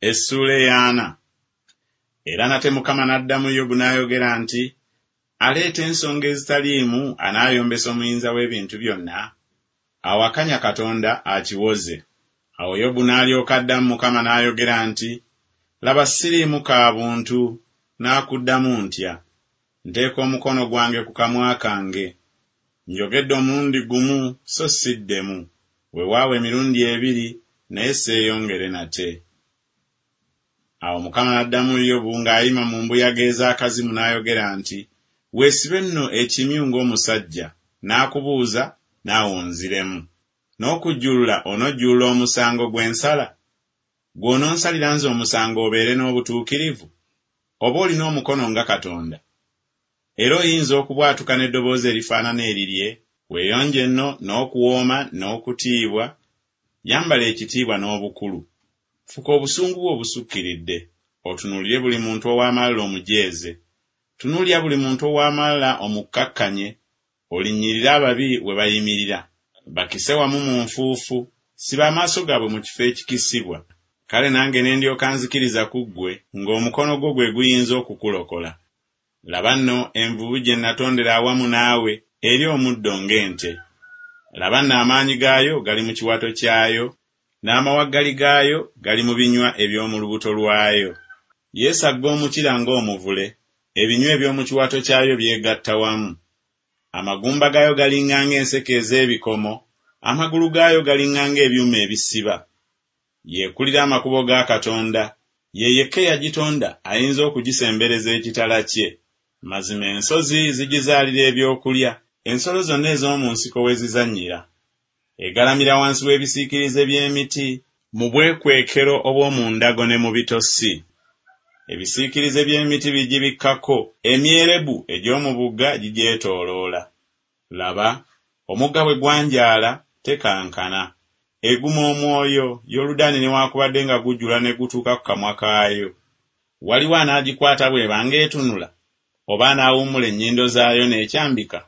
Essuula eyaana. Era nate Mukama n'addamu Yobu n'ayogera nti, Aleeta ensonga ezitaliimu anaayombesa Omuyinza w'ebintu byonna? Awakanya Katonda akiwoze. Awo Yobu n'alyoka addamu Mukama n'ayogera nti, Laba siriimu ka buntu, naakuddamu ntya? Nteeka omukono gwange ku kamwa kange. Njogedde omulundi gumu so siddemu, weewaawo emirundi ebiri, naye seeyongere nate. Awo Mukama n'addamu Yobu ng'ayima mu mbuyaga ez'akazimu n'ayogera nti, Weesibe nno ekimyu ng'omusajja, naakubuuza, naawe onziremu. N'okujjulula onojjulula omusango gwe nsala? Ggwe ononsalira nze omusango obeere n'obutuukirivu? Oba olina omukono nga Katonda? Era oyinza okubwatuka n'eddoboozi erifaanana erirye? Weeyonje nno n'okuwooma n'okutiibwa, yambala ekitiibwa n'obukulu. Fuka obusungu bwo obusukkiridde, otunuulire buli muntu ow'amalala omujeeze. Tunuulira buli muntu ow'amalala omukkakkanye, olinnyirire ababi we bayimirira. Bakise wamu mu nfuufu, siba amaaso gaabwe mu kifo ekikisibwa. Kale nange ne ndyoka nzikiriza ku ggwe ng'omukono gwo gwe guyinza okukulokola. Laba nno envubu gye natondera awamu naawe, erya omuddo ng'ente. Laba nno amaanyi gaayo gali mu kiwato kyayo, n'amawaggali gaayo gali mu binywa eby'omu lubuto lwayo. Yeesagga omukira ng'omuvule, ebinywa eby'omu kiwato kyayo byegatta wamu. Amagumba gaayo galinga ng'enseke ez'ebikomo, amagulu gaayo galinga ng'ebyuma ebisiba. Y'ekulira amakubo ga Katonda, ye yekka eyagitonda ayinza okugisembereza ekitala kye. Mazima ensozi zigizaalira ebyokulya, ensolo zonna ez'omu nsiko we zizannyira. Egalamira wansi w'ebisiikirize by'emiti, mu bwekwekero obw'omu ndago ne mu bitosi. Ebisiikirize by'emiti bigibikkako, emyerebu egy'omu bugga gigyetooloola. Laba, omugga bwe gwanjaala, tekankana. Eguma omwoyo, Yoludaani newaakubadde nga gujjula ne gutuuka ku kamwa kaayo. Waliwo anaagikwata bw'eba ng'etunula? Oba anaawummula ennyindo zaayo n'ekyambika?